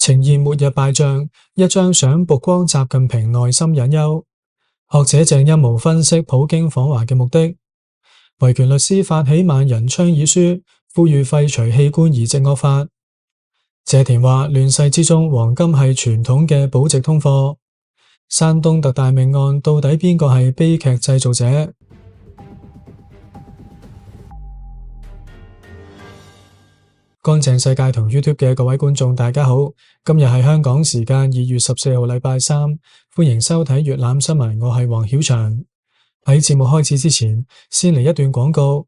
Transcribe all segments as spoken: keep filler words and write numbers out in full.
呈現末日敗仗，一張相曝光習近平內心隱憂。學者鄭一模分析普京訪華嘅目的。維權律師發起萬人倡議書，呼籲廢除器官移植惡法。謝田話：亂世之中，黃金係傳統嘅保值通貨。山東特大命案到底邊個係悲劇製造者？乾淨世界同 YouTube 嘅各位觀眾，大家好，今日係香港時間二月十四號禮拜三，歡迎收睇粵覽新聞，我係黃曉翔。喺節目開始之前，先嚟一段廣告。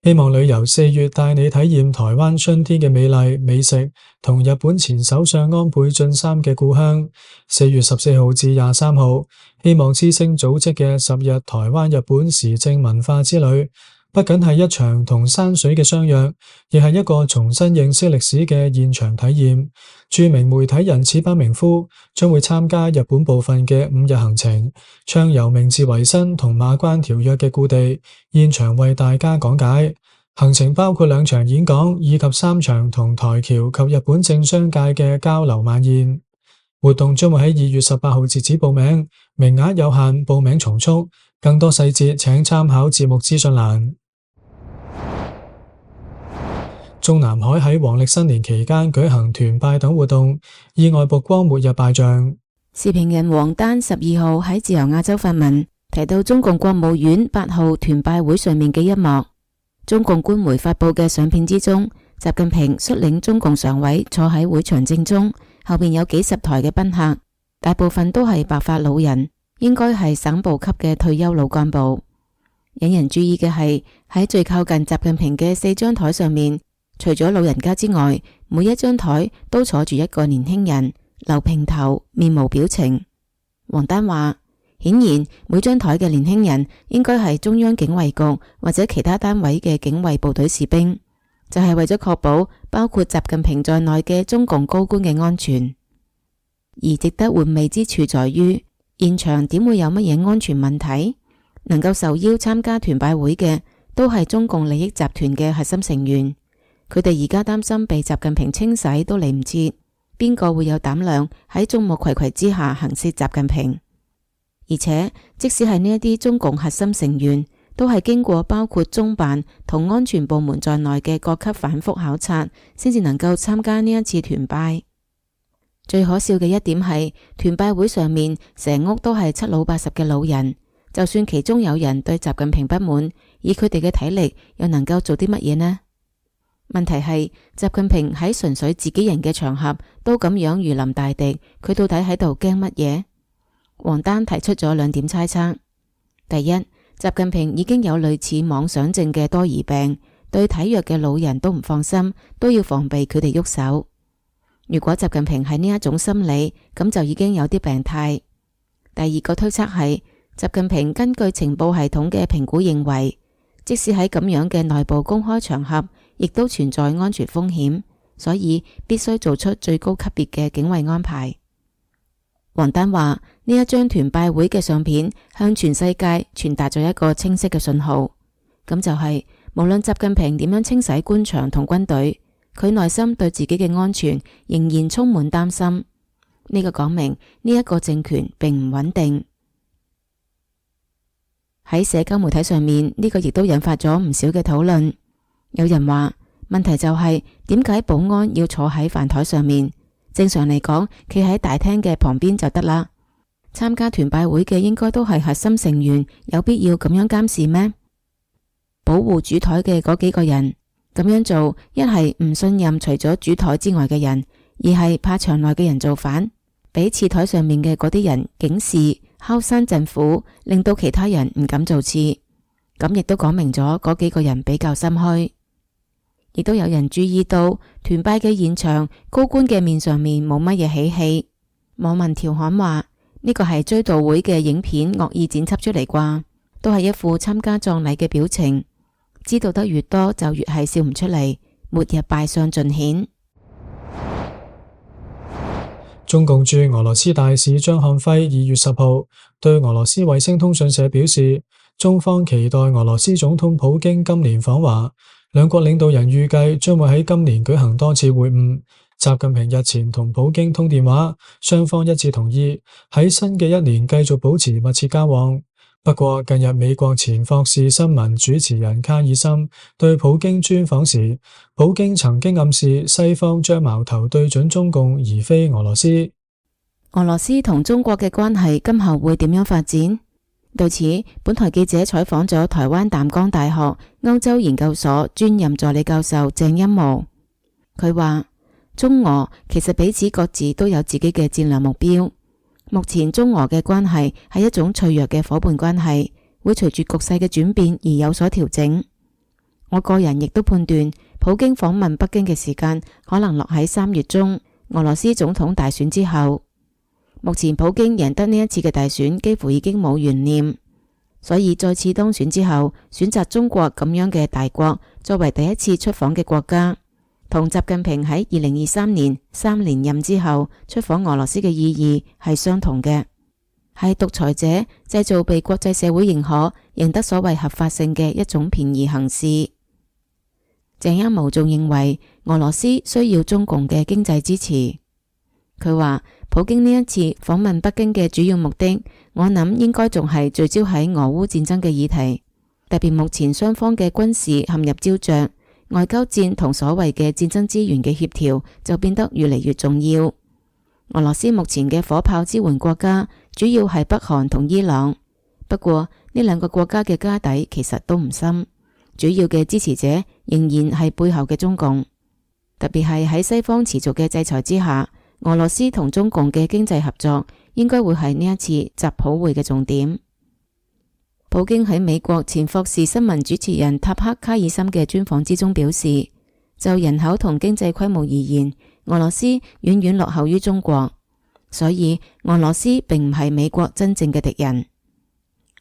希望旅遊四月帶你體驗台灣春天嘅美麗美食，同日本前首相安倍晉三嘅故鄉。四月十四號至廿三號，希望之星組織嘅十日台灣日本時政文化之旅，不僅係一場同山水嘅相約，亦係一個重新認識歷史嘅現場體驗。著名媒體人矢板明夫將會參加日本部分嘅五日行程，暢遊明治維新同馬關條約嘅故地，現場為大家講解。行程包括兩場演講以及三場同台僑及日本政商界嘅交流晚宴。活動將會喺二月十八號截止報名，名額有限，報名從速。更多細節請參考節目資訊欄。中南海喺黃曆新年期間舉行團拜等活動，意外曝光末日敗仗。時評人王丹十二號喺自由亞洲發文提到中共國務院八號團拜會上面嘅一幕。中共官媒發佈嘅相片之中，習近平率領中共常委坐喺會場正中，後面有幾十台嘅賓客，大部分都係白髮老人，應該係省部級嘅退休老幹部。引人注意嘅係喺最靠近習近平嘅四張台上面，除咗老人家之外，每一張台都坐住一個年輕人，留平頭，面無表情。王丹話，顯然每張台嘅年輕人應該係中央警衛局或者其他單位嘅警衛部隊士兵，就係為咗確保包括習近平在內嘅中共高官嘅安全。而值得玩味之處在於，現場點會有乜嘢安全問題？能夠受邀參加團拜會嘅都係中共利益集團嘅核心成員。佢哋而家擔心被習近平清洗都嚟唔切，邊個會有膽量喺眾目睽睽之下行刺習近平？而且即使係呢一啲中共核心成員，都係經過包括中辦同安全部門在內嘅各級反覆考察，先至能夠參加呢一次團拜。最可笑嘅一點係，團拜會上面成屋都係七老八十嘅老人，就算其中有人對習近平不滿，以佢哋嘅體力又能夠做啲乜嘢呢？問題係習近平喺純粹自己人嘅場合都咁樣如臨大敵，佢到底喺度驚乜嘢？王丹提出咗兩點猜測。第一，習近平已經有類似妄想症嘅多疑病，對體弱嘅老人都唔放心，都要防備佢哋喐手。如果習近平係呢一種心理，咁就已經有啲病態。第二個推測係習近平根據情報系統嘅評估認為，即使喺咁樣嘅內部公開場合，亦都存在安全風險，所以必須做出最高級別嘅警衛安排。王丹話，呢一張團拜會嘅相片向全世界傳達咗一個清晰嘅信號，咁就係無論習近平點樣清洗官場同軍隊，佢內心對自己嘅安全仍然充滿擔心。呢個講明呢一個政權並唔穩定。喺社交媒體上面，呢個亦都引發咗唔少嘅討論。有人話，問題就係點解保安要坐喺飯台上面？正常嚟講，企喺大廳嘅旁邊就得啦。參加團拜會嘅應該都係核心成員，有必要咁樣監視咩？保護主台嘅嗰幾個人咁樣做，一係唔信任除咗主台之外嘅人，二係怕場內嘅人造反，俾次台上面嘅嗰啲人警示、敲山震虎，令到其他人唔敢做次。咁亦都講明咗嗰幾個人比較心虛。亦都有人注意到團拜嘅現場，高官嘅面上面冇乜嘢喜氣。網民調侃話，呢個係追悼會嘅影片惡意剪輯出嚟啩，都係一副參加葬禮嘅表情。知道得越多就越係笑唔出嚟，末日敗相盡顯。中共駐俄羅斯大使張漢輝二月十號對俄羅斯衛星通訊社表示，中方期待俄羅斯總統普京今年訪華。兩國領導人預計將會喺今年舉行多次會晤，習近平日前同普京通電話，雙方一致同意喺新嘅一年繼續保持密切交往。不過近日美國前霍士新聞主持人卡爾森對普京專訪時，普京曾經暗示西方將矛頭對準中共而非俄羅斯。俄羅斯同中國嘅關係今後會點樣發展？對此，本台記者採訪咗台灣淡江大學歐洲研究所專任助理教授鄭欽模，佢話中俄其實彼此各自都有自己嘅戰略目標。目前中俄嘅關係係一種脆弱嘅夥伴關係，會隨住局勢嘅轉變而有所調整。我個人亦都判斷，普京訪問北京嘅時間可能落喺三月中，俄羅斯總統大選之後。目前普京贏得呢一次嘅大選幾乎已經冇懸念，所以再次當選之後，選擇中國咁樣嘅大國作為第一次出訪嘅國家，同習近平喺二零二三年三連任之後出訪俄羅斯嘅意義係相同嘅，係獨裁者製造被國際社會認可、贏得所謂合法性嘅一種便宜行事。鄭欽模仲認為俄羅斯需要中共嘅經濟支持。佢話普京呢一次訪問北京嘅主要目的，我諗應該仲係聚焦喺俄烏戰爭嘅議題，特別目前雙方嘅軍事陷入膠着，外交戰同所謂嘅戰爭資源嘅協調就變得越嚟越重要。俄羅斯目前嘅火炮支援國家主要係北韓同伊朗，不過呢兩個國家嘅家底其實都唔深，主要嘅支持者仍然係背後嘅中共，特別係喺西方持續嘅制裁之下，俄羅斯同中共嘅經濟合作應該會係呢一次習普會嘅重點。普京喺美國前霍士新聞主持人塔克卡爾森嘅專訪之中表示，就人口同經濟規模而言，俄羅斯遠遠落後於中國，所以俄羅斯並唔係美國真正嘅敵人。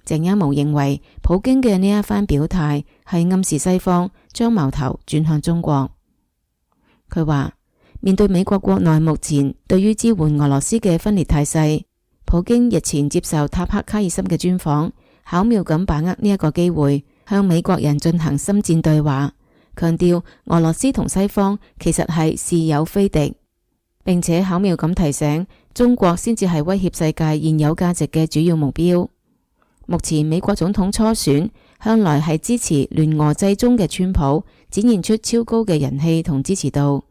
鄭欽模認為，普京嘅呢一番表態係暗示西方將矛頭轉向中國。佢話，面對美國國內目前對於支援俄羅斯嘅分裂態勢，普京日前接受塔克卡爾森嘅專訪，巧妙咁把握呢一個機會，向美國人進行深戰對話，強調俄羅斯同西方其實係是友非敵，並且巧妙咁提醒中國先至係威脅世界現有價值嘅主要目標。目前美國總統初選向來係支持聯俄制中嘅川普，展現出超高嘅人氣同支持度。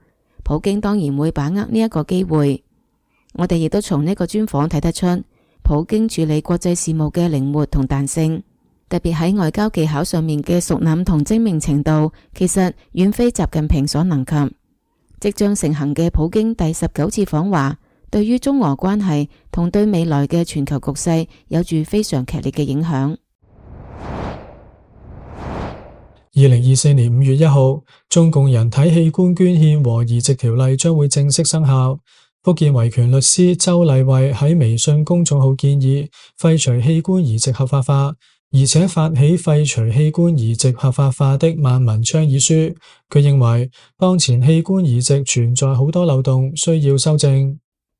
普京當然會把握呢一個機會，我哋亦都從呢個專訪睇得出，普京處理國際事務嘅靈活同彈性，特別喺外交技巧上面嘅熟稔同精明程度，其實遠非習近平所能及。即將成行嘅普京第十九次訪華，對於中俄關係同對未來嘅全球局勢有住非常劇烈嘅影響。二零二四年五月一號，中共人體器官捐獻和移植條例將會正式生效。福建維權律師周麗慧喺微信公眾號建議廢除器官移植合法化，而且發起廢除器官移植合法化的萬民倡議書。佢認為當前器官移植存在好多漏洞，需要修正。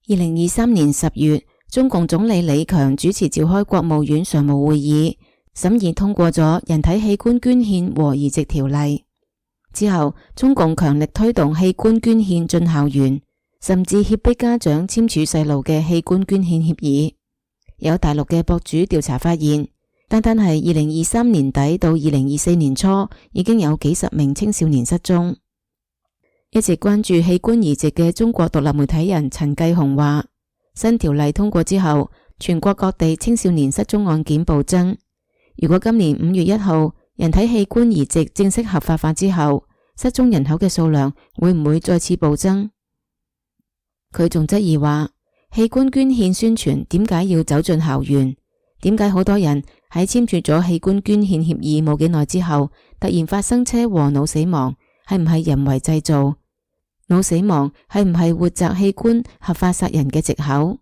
二零二三年十月，中共總理李強主持召開國務院常務會議，審議通過咗人體器官捐獻和移植條例。之後，中共強力推動器官捐獻進校園，甚至脅迫家長簽署細路嘅器官捐獻協議。有大陸嘅博主調查發現，單單係二零二三年底到二零二四年初，已經有幾十名青少年失蹤。一直關注器官移植嘅中國獨立媒體人陳繼紅話，新條例通過之後，全國各地青少年失蹤案件暴增。如果今年五月一號人體器官移植正式合法化之後，失蹤人口嘅數量會唔會再次暴增？佢仲質疑話，器官捐獻宣傳點解要走進校園？點解好多人喺簽署咗器官捐獻協議冇幾耐之後，突然發生車禍腦死亡？係唔係人為製造？腦死亡係唔係活摘器官合法殺人嘅藉口？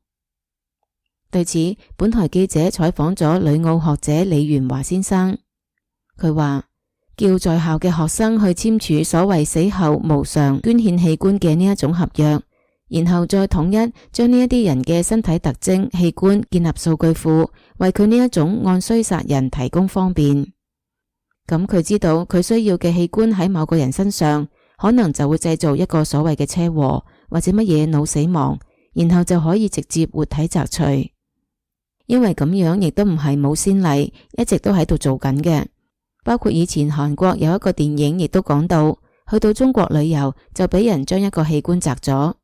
對此，本台記者採訪咗旅澳學者李元華先生，佢話叫在校嘅學生去簽署所謂死後無償捐獻器官嘅呢一種合約，然後再統一將呢一啲人嘅身體特徵器官建立數據庫，為佢呢一種按需殺人提供方便。咁佢知道佢需要嘅器官喺某個人身上，可能就會製造一個所謂嘅車禍，或者乜嘢腦死亡，然後就可以直接活體摘除。因為咁樣亦都唔係冇先例，一直都喺度做緊嘅。包括以前韓國有一個電影亦都講到，去到中國旅遊就俾人將一個器官摘咗。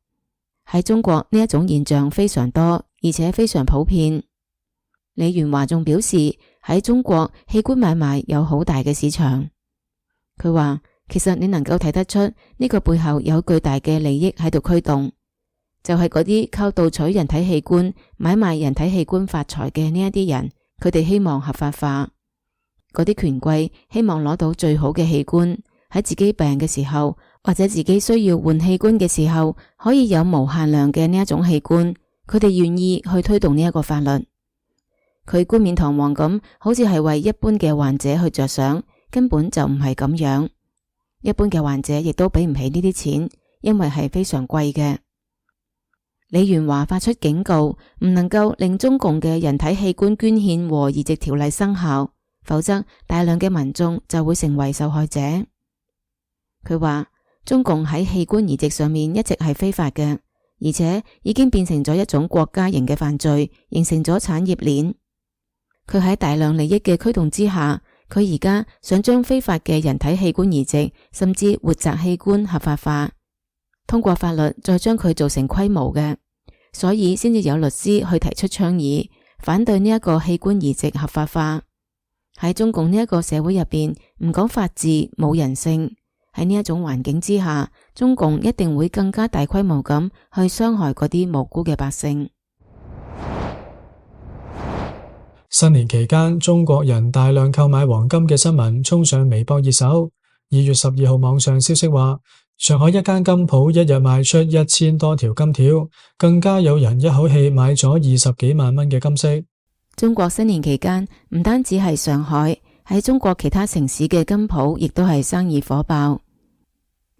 喺中國呢一種現象非常多，而且非常普遍。李元華仲表示喺中國器官買賣有好大嘅市場。佢話其實你能夠睇得出呢個背後有巨大嘅利益喺度驅動，就係嗰啲靠盜取人體器官、買賣人體器官發財嘅呢一啲人，佢哋希望合法化。嗰啲權貴希望攞到最好嘅器官，喺自己病嘅時候，或者自己需要換器官嘅時候，可以有無限量嘅呢一種器官，佢哋願意去推動呢一個法律。佢冠冕堂皇咁，好似係為一般嘅患者去着想，根本就唔係咁樣。一般嘅患者亦都俾唔起呢啲錢，因為係非常貴嘅。李元華發出警告，唔能夠令中共嘅人體器官捐獻和移植條例生效，否則大量嘅民眾就會成為受害者。佢話中共喺器官移植上面一直係非法嘅，而且已經變成咗一種國家型嘅犯罪，形成咗產業鏈。佢喺大量利益嘅驅動之下，佢而家想將非法嘅人體器官移植甚至活摘器官合法化，通過法律再將佢做成規模嘅，所以先至有律師去提出倡議，反對呢一個器官移植合法化。喺中共呢一個社會入邊，唔講法治，冇人性。喺呢一種環境之下，中共一定會更加大規模咁去傷害嗰啲無辜嘅百姓。新年期間，中國人大量購買黃金嘅新聞衝上微博熱搜。二月十二號網上消息話，上海一間金鋪一日賣出一千多條金條，更加有人一口氣買咗二十幾萬蚊嘅金飾。中國新年期間，唔單止係上海，喺中國其他城市嘅金鋪亦都係生意火爆。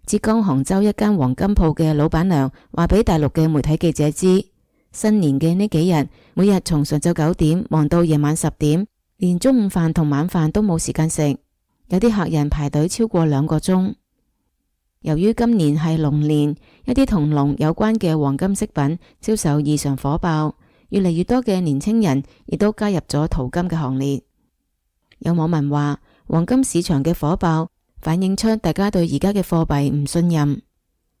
浙江杭州一間黃金鋪嘅老闆娘話俾大陸嘅媒體記者知，新年嘅呢幾日，每日從上晝九點忙到夜晚十點，連中午飯同晚飯都冇時間食，有啲客人排隊超過兩個鐘。由於今年係龍年，一啲同龍有關嘅黃金飾品銷售異常火爆，越嚟越多嘅年輕人亦都加入咗淘金嘅行列。有網民話，黃金市場嘅火爆反映出大家對而家嘅貨幣唔信任。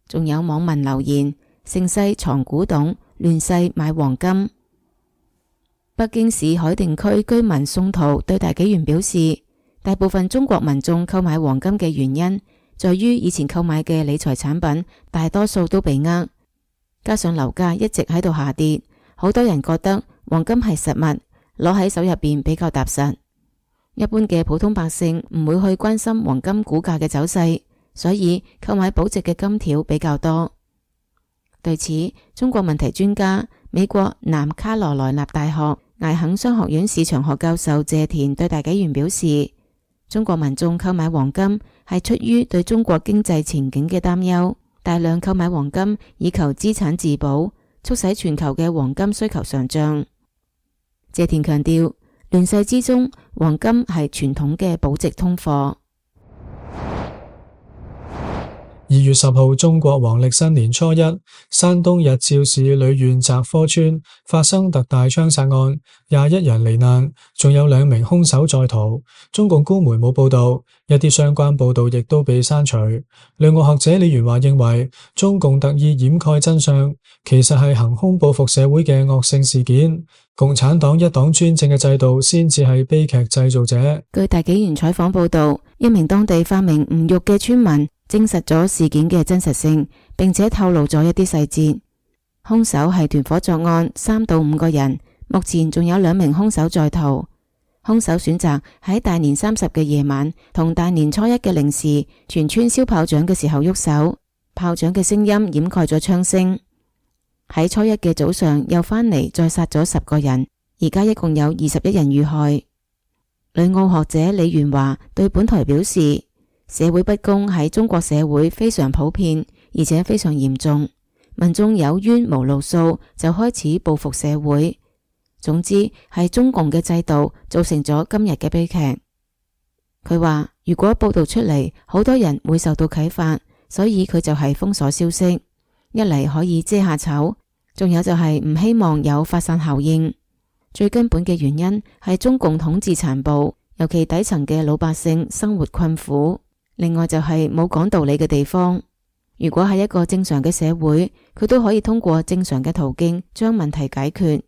仲有網民留言，盛世藏古董，亂世買黃金。北京市海淀區居民宋濤對大紀元表示，大部分中國民眾購買黃金嘅原因在於以前購買嘅理財產品大多數都被呃，加上樓價一直喺度下跌，好多人覺得黃金係實物，攞喺手入邊比較踏實。一般嘅普通百姓唔會去關心黃金股價嘅走勢，所以購買保值嘅金條比較多。對此，中國問題專家、美國南卡羅來納大學艾肯商學院市場學教授謝田對大紀元表示，中國民眾購買黃金係出於對中國經濟前景嘅擔憂，大量購買黃金以求資產自保，促使全球嘅黃金需求上漲。謝田強調，亂世之中，黃金係傳統嘅保值通貨。二月十號，中國黃曆新年初一，山東日照市蘆縣澤科村發生特大槍殺案，廿一人罹難，仲有兩名兇手在逃。中共官媒冇報道，一啲相關報道亦都被刪除。兩個學者李元華認為，中共特意掩蓋真相，其實係行兇報復社會嘅惡性事件。共產黨一黨專政嘅制度先至係悲劇製造者。據大紀元採訪報道，一名當地化名吳玉嘅村民證實咗事件嘅真實性，並且透露咗一啲細節。兇手係團伙作案，三到五個人，目前仲有兩名兇手在逃。兇手選擇喺大年三十嘅夜晚同大年初一嘅零時，全村燒炮仗嘅時候喐手，炮仗嘅聲音掩蓋咗槍聲。喺初一嘅早上又返嚟再殺咗十個人，而家一共有二十一人遇害。旅澳學者李元華對本台表示，社會不公喺中國社會非常普遍，而且非常嚴重，民眾有冤無路訴，就開始報復社會。總之係中共嘅制度造成咗今日嘅悲劇。佢話如果報道出嚟，好多人會受到啟發，所以佢就係封鎖消息。一嚟可以遮下醜，仲有就係唔希望有發散效應。最根本嘅原因係中共統治殘暴，尤其底層嘅老百姓生活困苦。另外就係冇講道理嘅地方。如果係一個正常嘅社會，佢都可以通過正常嘅途徑將問題解決，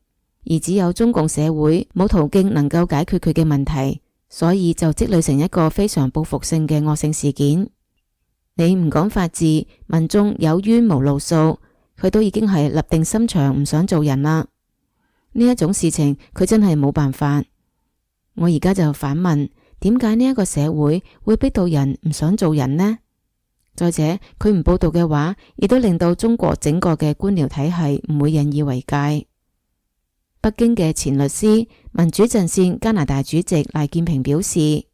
而只有中共社會冇途徑能夠解決佢嘅問題，所以就積累成一個非常報復性嘅惡性事件。你唔講法治，民眾有冤無路訴，佢都已經係立定心腸唔想做人啦。呢一種事情佢真係冇辦法。我而家就反問，點解呢一個社會會逼到人唔想做人呢？再者，佢唔報道嘅話，亦都令到中國整個嘅官僚體系唔會引以為戒。北京嘅前律師、民主陣線加拿大主席賴建平表示，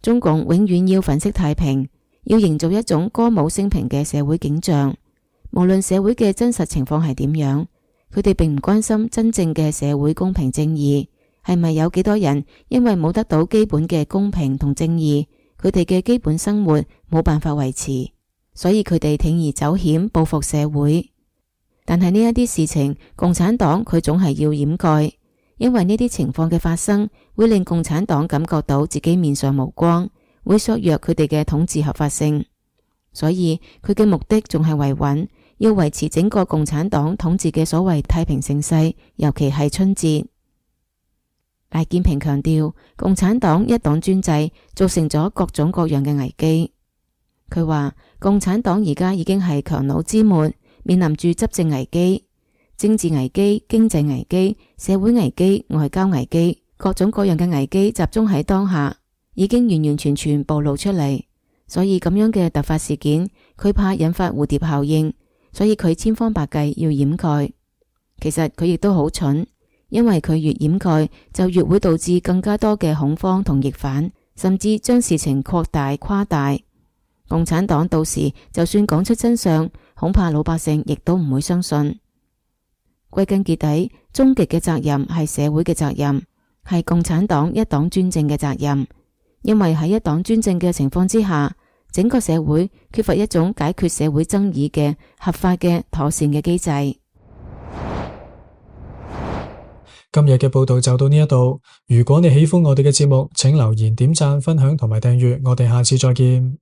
中共永遠要粉飾太平，要營造一種歌舞升平嘅社會景象。無論社會嘅真實情況係點樣，佢哋並唔關心真正嘅社會公平正義，係咪有幾多人因為冇得到基本嘅公平同正義，佢哋嘅基本生活冇辦法維持，所以佢哋鋌而走險報復社會。但係呢一啲事情，共產黨佢總係要掩蓋，因為呢啲情況嘅發生會令共產黨感覺到自己面上無光，會削弱佢哋嘅統治合法性。所以佢嘅目的仲係維穩，要維持整個共產黨統治嘅所謂太平盛世，尤其係春節。賴建平強調，共產黨一黨專制造成咗各種各樣嘅危機。佢話共產黨而家已經係強弩之末，面臨住執政危機、政治危機、經濟危機、社會危機、外交危機，各種各樣嘅危機集中喺當下，已經完完全全暴露出嚟。所以咁樣嘅突發事件，佢怕引發蝴蝶效應，所以佢千方百計要掩蓋。其實佢亦都好蠢，因為佢越掩蓋，就越會導致更加多嘅恐慌同逆反，甚至將事情擴大誇大。共產黨到時就算講出真相，恐怕老百姓亦都唔會相信。歸根結底，終極嘅責任係社會嘅責任，係共產黨一黨專政嘅責任。因為喺一黨專政嘅情況之下，整個社會缺乏一種解決社會爭議嘅合法嘅妥善嘅機制。今日嘅報道就到呢一度。如果你喜歡我哋嘅節目，請留言、點讚、分享同埋訂閱。我哋下次再見。